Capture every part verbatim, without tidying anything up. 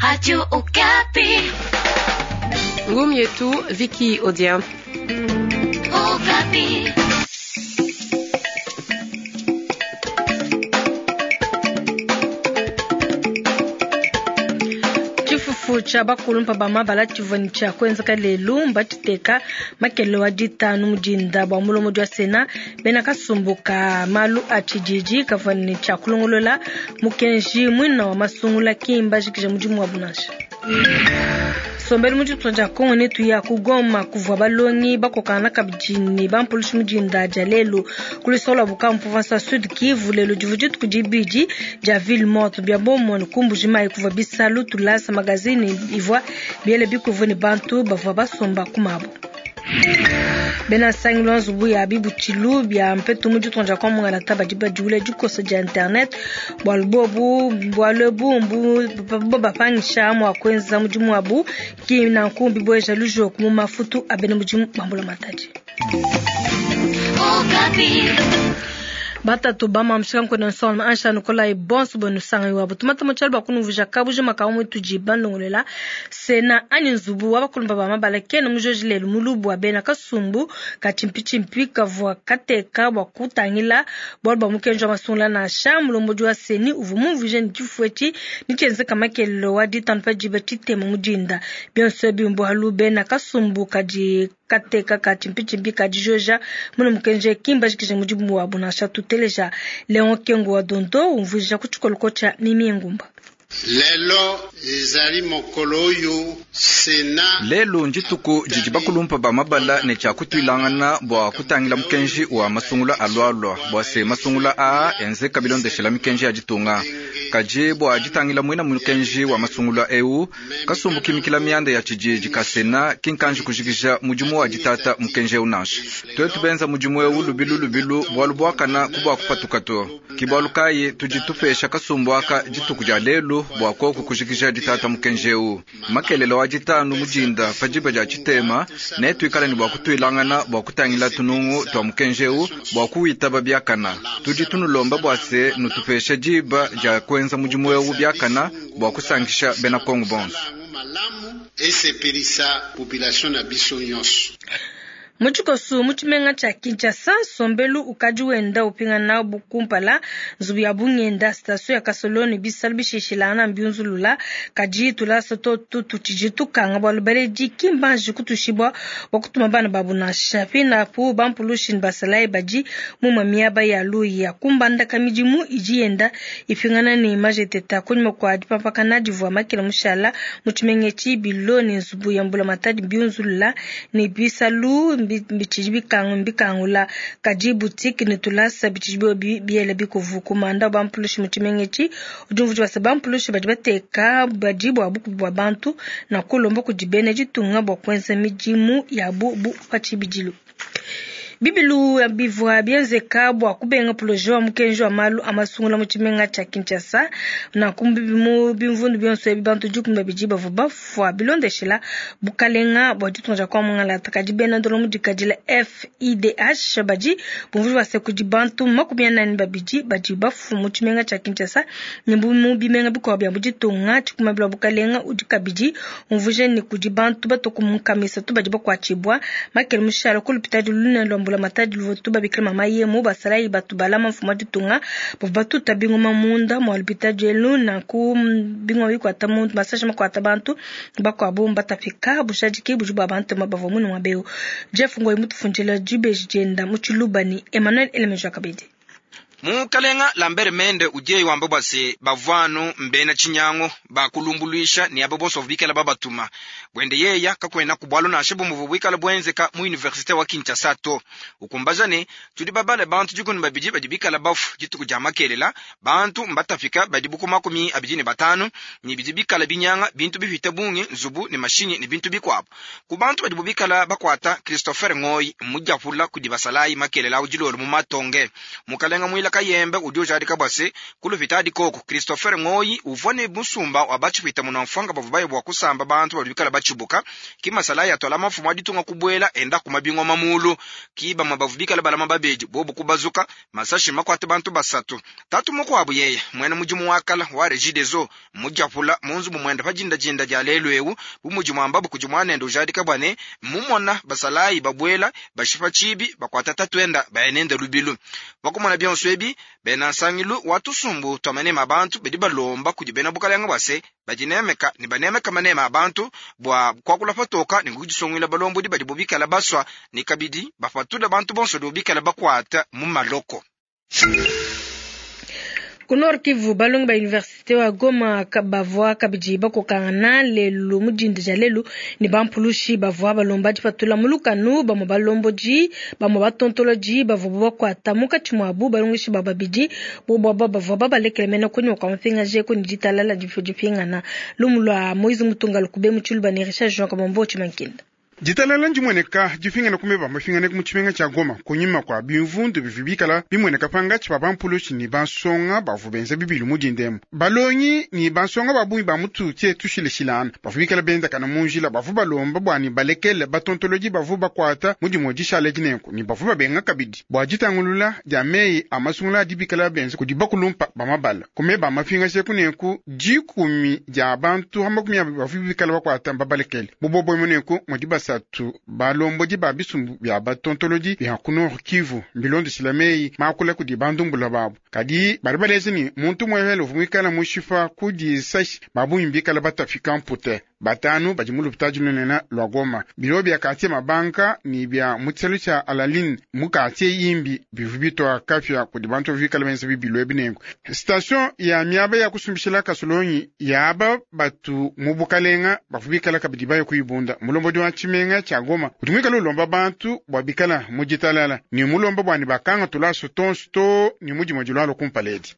Radio Okapi. Ngum yetu Vicky Odia. Okapi. Tshifufu tshia bakulumpa ba mabala tshivua ne tshia kuenzeka lelu mbatshiteka makelele wa ditanu mu dinda bua mulombodi wa Sena bena kasumbu ka malu a tshididi kavua ne tshia kulongolola mukenji muina wa masungula ki mbajikija mudimu wabu nansha. Sombelu mu ditunga dia Kongo ne tuya ku Goma kuvua balongi bakokana kabidi ne bampulushi mu dinda dia lelu ku luseke lua Bukavu province ya Sud Kivu. Lelu divua dituku dibidi dia ville morte bia bomone ku Mbuji-Mayi kuvua bisalu tulasa magazine ivua biele bikuvua ne bantu bavua basomba ku mabo. Bena nsangilu wa nzubu ya bibutshilo bia mpetu mu ditunga dia Kongo Mungalata badi badiwula dikosa dia internet bualu bobu bualu ebu mbu bapangisha mua kuenza mudimu wabu ki nanku bibueja lujoku mu mafutu a bena mudimu ba mbulamatadi. Okapi. Batatu bamamshika nkona nsonga ansha Nikolai bonso bonu sanga iwabo tumata mutshalu bakunuvusha kabuji makamu mutudi bandongolela sena anyi nzubu wa bakulumba ba mabala kena mujoji lelu mulubu wa bena kasumbu ka chimpichimpi kavua kateka bua kutangila bualu bua mukenji wa masungula nansha mulombodi wa seni uvua mumvuije ne tshifufu etshi nitshienzeka makelelo wa ditanu pa diba tshitema mu dinda bionso ebi mbualu bena kasumbu kadi kateka ka chimpichimpi ka dijoja muna mukenji kimbajikije mudimu wabu nansha tuteleja Leon Kengo wa Dondo umvuija ku tshikoloko tshia Mimi Ngumba. Lelo ezali mokolo oyo Sena lelu ndituku didi bakulumpa ba mabala ne tshia kutuilangana bua kutangila mukenji wa masungula alualua bua se masungula aa enzeka bilondeshela mikenji ya ditunga. Kadi bua ditangila muina mukenji wa masungula eu kasumbu kimikila mianda ya tshididi ka Sena kinkanji kujikija mudimu wa ditata mukenji eu nansha. Tuetu benza mudimu eu lubilu lubilu bualu buakana kubua kupatuka to. Ki bualu kayi tudi tupesha kasumbu aka dituku dia lelu bua koku kujikija ditata mukenji eu. Makelele wa ditanu mujinda pa diba dia tshitema ne tuikala ne bua kutuilangana bua kutangila tunungu tua mukenji eu bua kuwitaba biakana. Tudi tunulomba bua se nutupesha diba dia kuenza mudimu eu biakana bua kusankisha bena Kongo bonso. Malamu esepelisa population na biso nyonso. Mu tshikoso mu tshimenga tshia Kinshasa nsombelu ukadi wenda upingana bukumpala nzubu ya bungenda station ya Kasoloni bisalu bishishilana mbiunzulula kadi tulasa totu tutshidi tukanga bualu baledi ki mbanji kutushibwa bua kutuma bana babu nansha pinapu bampulushi ne basalayi badi mumue miaba ya luya kumbandaka midimu idi yenda ipingana ne majeteta kunyima kua dipampakana divua makela mushala mu tshimenga etshi bilo ne nzubu ya mbulamatadi mbiunzulula ne bisalu bitshidi bikangu mbikangula kadi boutique ne tulasa bitshidi biobi biela bikuvu kumanda bampulushi mu tshimenga etshi udi umvuija basa bampulushi badi bateka badi bua bukubi bua bantu na kulomba kudi bena ditunga bua kuenza midimu yabu bu pa tshibidilu. Bibilu bivua bienzeka bua kubenga projet wa mukenji wa malu a masungula mu tshimenga tshia Kinshasa nanku mu bimvundu bionso ebi bantu dikumi babidi bavua bafua bilondeshela bukalenga bua ditunga dia Kongo Mungalata. Kadi bena ndolo mu dikadila F I D H badi bumvuija base kudi bantu makumi anani babidi badi bafua mu tshimenga tshia Kinshasa ne mu bimenga bikuabu bia mu ditunga. Tshikumabila bukalenga udi kabidi umvuija ne kudi bantu batoku mu nkama isatu badi bakuatshibua makele mushala ku lupitadi lunene lwa mbula matadi luvotu babikila mama yemu basalayi batu balama mfumu wa ditunga bavua batuta bingoma munda mua lupitadi elu nanku bingoma bikuata muntu masashi makuata bantu bakuabu mbatapika bushadiki budi bua bantu bavua munu muaba eu. Jeff Ngoyi mutufundila dibeji dienda mu tshiluba ne Emmanuel Elemeja kabidi. Mukalenga Lambert Mende udiye wamba bua se bavuanu mbena tshinyango bakulumbuluisha ne abo bonso bikala babatuma bwende yeya kakwena ku bwalu nansha bumuvu bwikala bwenzeka mu universite wa Kinshasa to ukumbaja ne tudi babale bantu dikumi babidi badi bikala bafu dituku dia makelela bantu mbatafika badi buku makumi abidi ne batanu ne bidi bikala binyanga bintu bihita bungi nzubu ne mashinyi ne bintu bikuabu ku bantu badi bubikala bakwata Christopher Ngoyi mudiapula kudi basalayi makelela udilolo mu matonge. Mukalenga mwila Kabila Kayembe udi ujadika bua se kulupitadi koku Christopher Ngoyi uvua ne musumba wa batshipwita munamfwanga bavua baye bua kusamba bantu badi bikala batshibuka. Ki masalayi atwala mafumu a ditunga kubuela enda kuma bingoma mulu. Ki bamwe bavua bikala balama babedi bobu kubazuka masashi makwate bantu basatu. Tatu mukuabu yeye mwene mudimu wa kala wa Regideso mujapula munzubu mwenda pa jindajinda dia lelu ewu bu mudi mwambabu kudi mwanende ujadika bua ne mumona basalayi babuela bashipa tshibi bakwata tatuenda bayenende lubilu. Bakumona bionso ebi bena nsangilu wa tusumbu twa manema abantu badi balomba kudi bena bukalenge bua se badinemeka ne banemeka manema abantu bua kuakula patoka ne kudisonguila balombodi badi bobikala baswa ne kabidi bapatula bantu bonso bobikala bakwata mu maloko. Ku Nord Kivu balongi ba université wa Goma bavua kabidi bakokangana lelu mudinda dia lelu ne bampulushi bavua balomba dipatula mu lukanu bamwe balombodi bamwe batontolodi bavua bakwata munkatshi muabu balongeshi ba babidi bobo aba bavua babalekele mena kunyima kua mapingaje ku ne ditalala dipingana lumu lua Moise Mutunga lukube mu Tshiluba ne Richard Jean Kabombo Tshimankinda. Ditalala ndimueneka dipingana kumeba mapingane mu tshimenga tshia Goma kunyima kua bimvundu bivi bikala bimueneka pangatshi pa bampulushi ne bansonga bavua benza bibilu mu dindemu. Balongi ne bansonga ba bungi ba mutu tie tushileshilana bavua bikala bendakana mu njila bavua balomba bua ne balekele batontolodi bavua bakuata mu dimue dishala dinenku ne bavua babenga kabidi bua ditangulula dia meyi a masungula adi bikala benza kudi bakulumpa ba mabala kumeba mapingashe kunenku dikumi dia bantu ha makumi abidi bavua bikala bakuata babalekele bubobo munenku mudi basatu balombodi ba bisumbu bya batontolodi bya ku Nord Kivu mbilondeshila meyi makula kudi bandumbula babu kadi bali baleza ni muntu mwehele uvua muikala mushipa kudi sashi babungi bikala batafika mpute batanu badi mu lupitadi lunene lwa Goma bilo bya katie mabanka ni bya mu tshisalu tshia Alaline mu katie yimbi bivu bitwa kafya kudi bantu bikala benza bibilu ebinengo station ya miaba ya kusumbishila kasolonyi yaba batu mu bukalenga bavua bikala kabidi baye kuyibunda mulombodi wa tshimenga tshia Goma udi muikala ulomba bantu bua bikala mu ditalala ni mulomba bua ne bakanga tulaso tonso to ni mudimue dilwalo kumpala edi.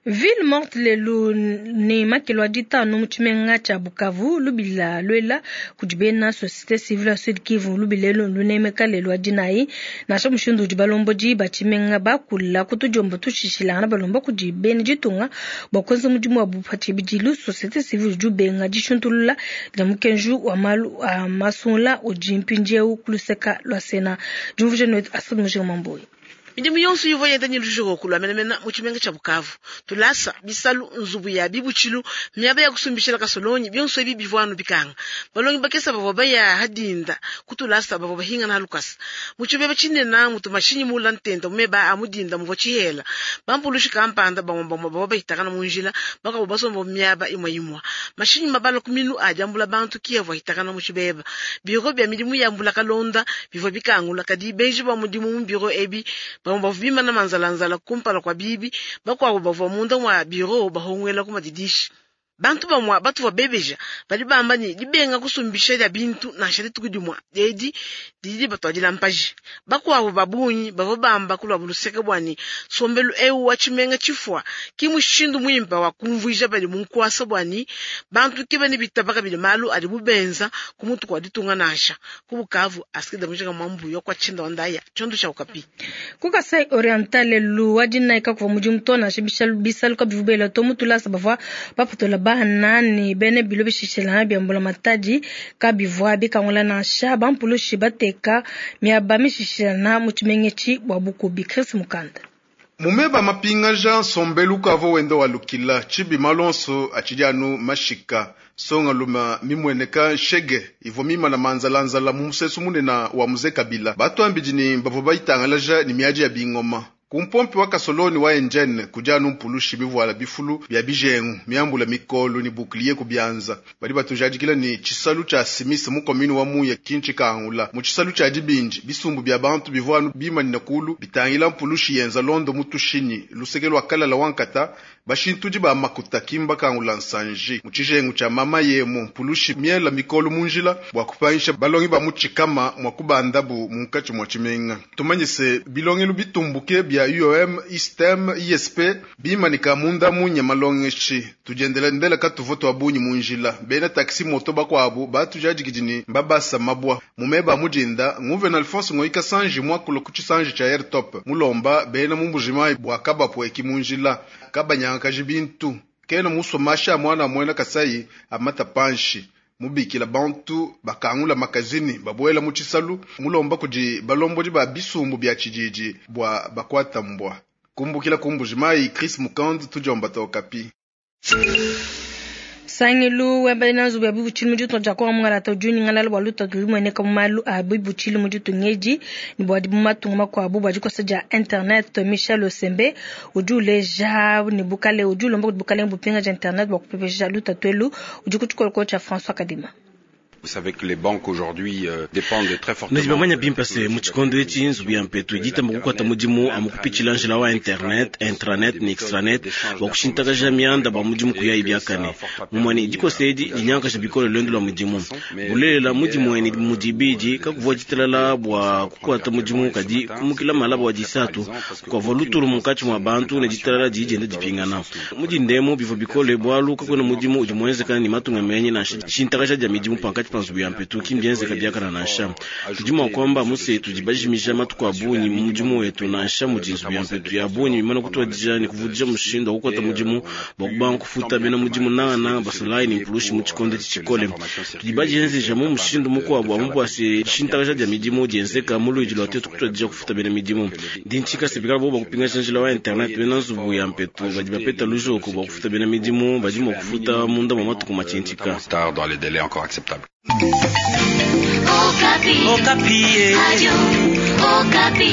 Ville morte lelu ne makelo a ditanu mu tshimenga tshia Bukavu lubila lwela kudi bena société civile ya Sud Kivu lubilelu lunemeka lelu wa dinayi nansha mushindu udi balombodi ba tshimenga bakula kutudiomba tushishilangana balomba kudi bena ditunga bua kuenza mudimu wa pa tshibidilu société civile udi ubenga dishuntulula dia mukenji wa malu a masungula udi mpindieu ku luseka lua Sena diumvuija ne Asad Mujinga Mamboyi. Midimu yonso ivua yenda ne lujoko lua menemene mu tshimenga tshia Bukavu tulasa bisalu nzubu ya bibutshilu miaba ya kusumbishila kasolonyi bionso ebi bivua anu bikanga balongi bakesa bavua baya hadinda kutulasa bavua bahingana halukasa mu tshibeba tshinene mutu mashinyi mula ntenta mumeba a mudinda muvua tshihela bampulushi kampanda bamwe bamwe bavua bahitakana mu njila bakavua basomba miaba imwe imwe mashinyi mabala ku minu adiambula bantu ki avua ahitakana mu tshibeba biro bya midimu ya mbula kalonda bivua bikangula kadi benji ba mudimu mu biro ebi bamwe bavua bimana manzalanzala kumpala kwa bibi bakuabo bavua munda mwa biro bahongwela ku madidishi bantu bamwa batu bebeja badi bamba ni dibenga kusumbisha dia bintu nansha dituku dimwa edi didi batwadila mpaji bakuabo babunyi bavua bamba kulwa buluseke bwani sombelu eu wa tshimenga tshifua ki mushindu muimpa wa kumvuija badi mu nkuasa bwani bantu ke bane bitaba kabidi malu adi bubenza ku mutu kwa ditunga nansha ku Bukavu asikida mujinga mwambuyo kwa tshinda wandaya tshiondo tshia Okapi. Ku Kasai Oriental lelu wa dinayi kakuvua mudimu to nansha bisalu kabivua to mutulasa bavua bapatula bana ne bene bilo bishishilana bya mbula matadi kabivua bikangula nansha bampulushi bateka miaba mishishilana mu tshimengetshi bua bukubi. Chris Mukanda. Mumeba mapingaja nsombelu kavo wenda walukila tshibi malonso atshidi anu mashika songa luma mimweneka nshege ivua mimana manzalanzala mu musesu munene wa muze Kabila batu ambidi ni bavua bayitangalaja ni miadi ya bingoma kumpompi wa kasoloni wa engine kujanu mpulushi bivuala bifulu bya bijengu miambula mikolo ni bukliye kubyanza bali batujadikila ni chisalu cha simisi mu commune wa Muya kinchi kangula mu chisalu cha dibinji bisumbu bya bantu bivuanu bimanina kulu bitangila mpulushi yenza londo mutushini lusekelo akalala wankata bashintudi ba makuta kimba kangula nsanji mu chijengu cha mama yemo mpulushi miela mikolo munjila bwa kupanyisha balongi ba muchikama mwa kubandabu munkachi mwa chimenga tumanyise bilongelu bitumbuke bya bia U O M, I S T E M, I S P bimanika munda munya malongeshi tudiendela ndela katuvo twa bunyi munjila bena taxi moto bakwabu batujadikidini mbabasa mabwa mumeba mujinda nguvena Alphonse Ngoika Sanji mwakulo kuchisanji cha Air Top mulomba bena mumbujima bwa kabapwe kimunjila kabanyanga bintu kena muso masha mwana mwena Kasai amata panshi mubikila bantu bakangula makazini babwela muchisalu mulomba kuji balombo ba bisumbu bya chijiji bwa bakwata mbwa kumbukila kumbujimai Chris Mukand tujomba tokapi. Sangilu wembele na nzubu ya bibutshilu mu ditunga dia Kongo mungalata udi unyingalala bua lutatu lumueneka mu malu a bibutshilu mu ditunga edi ne bua mu matunga makuabu bua dikosa dia internet. Michel Osembe udi uleja ne bukale udi ulomba kudi bukalenge bupinga dia internet bua kupepesha lutatu elu udi ku tshikolokolo tshia François Kadima. Vous savez que les banques aujourd'hui euh, dépendent très fortement. Nijibamanya bimpa se mu tshikondo etshi nzubu ya mpetu iditamba kukwata mudimu amukupitshila njila wa internet, intranet ne extranet bua kushintakaja mianda bua mudimu kuya ibiakane. Mumwani dikosa edi dinyankasha bikole lwendo lwa mudimu. Bulelela mudimu eni mudibidi kakuvua ditalala bua kukwata mudimu kadi kumukila malaba wa disatu kukavua lutulu munkatshi mua bantu ne ditalala didi dipingana. Mudindemo bivua bikole bualu kakuena mudimu udi muenzekana ne matunga menyi nansha shintakaja dia midimu pankatshi pa nzubu ya mpetu kimbienzeka biakana nansha. Tudi mua kuamba muse tudi bajimija matuku a bungi mu mudimu wetu nansha mudi nzubu ya mpetu ya bungi mimana kutuadija ne kuvudija mushindu wa kukwata mudimu bua kubanga kufuta bena mudimu nangananga basolayi ne mpulushi mu tshikondo etshi tshikole. Tudi badienzeja mu mushindu mukuabu amu bua se shintakaja dia midimu dienzeka mu luidi lua tetu kutuadija kufuta bena midimu. Ndi ntshika se bikala bobo bakupingasha njila wa internet bena nzubu ya mpetu badi bapeta lujoko bua kufuta bena midimu badi mua kufuta munda mua matuku matshintshika. Dans les délais encore acceptables. Okapi. Okapi. Radio Okapi.